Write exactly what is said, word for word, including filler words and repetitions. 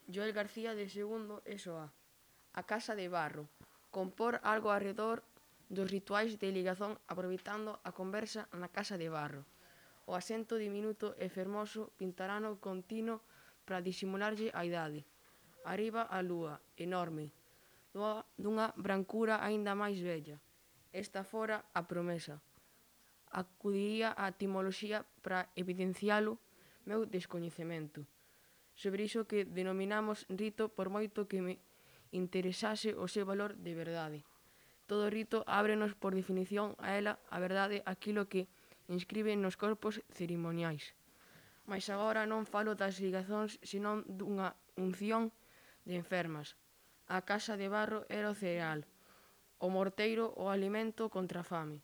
Joel García de segundo E S O A. A casa de barro. Compor algo arredor dos rituais de ligazón aproveitando a conversa na casa de barro. O asento diminuto e fermoso pintarano continuo para disimularlle a idade. Arriba a lúa, enorme, dunha brancura aínda máis bella. Esta fora a promesa. Acudiría á etimoloxía para evidencialo meu descoñecemento sobre iso que denominamos rito, por moito que me interesase o seu valor de verdade. Todo rito ábrenos por definición a ela a verdade aquilo que inscribe nos corpos cerimoniais. Mais agora non falo das ligazóns, senón dunha unción de enfermas. A casa de barro era o cereal, o morteiro o alimento contra a fame.